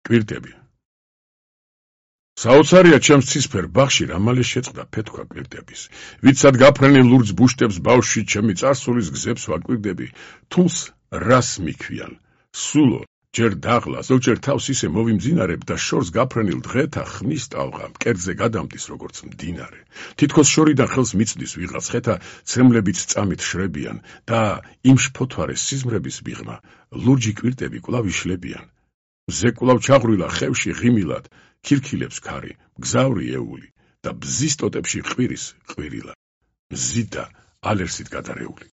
კვირტები. საოცარია ჩემს ცისფერ ბაღში რამალე შეწყდა ფეთქვა კვირტების. ვიცად გაფრენილ ლურჯ ბუშტებს ბავშვი ჩემი წარსულის გზებს ვაკვირდები, თულს რას მიქვიან, სულო, ჯერ დაღლა, ზოგჯერ თავს ისე მოვიმძინარებ და შორს გაფრენილ დღეთა ხმის ტალღა მკერდზე გადამდის როგორც მდინარე. თითქოს შორიდან ხელს მიწდის ვიღაც ხეთა ცემლებიც წამით შრებიან და იმ შფოთვარე სიზმრების მიღმა ლურჯი კვირტები კვლავ იშლებიან. მზე კვლავ ჩაღვრილა ხევში ღიმილად, ქირქილებს ქარი, მგზავრი ეული და ბზის ტოტებში ყვირის ყვირილა. მზით და ალერსით გადარეული.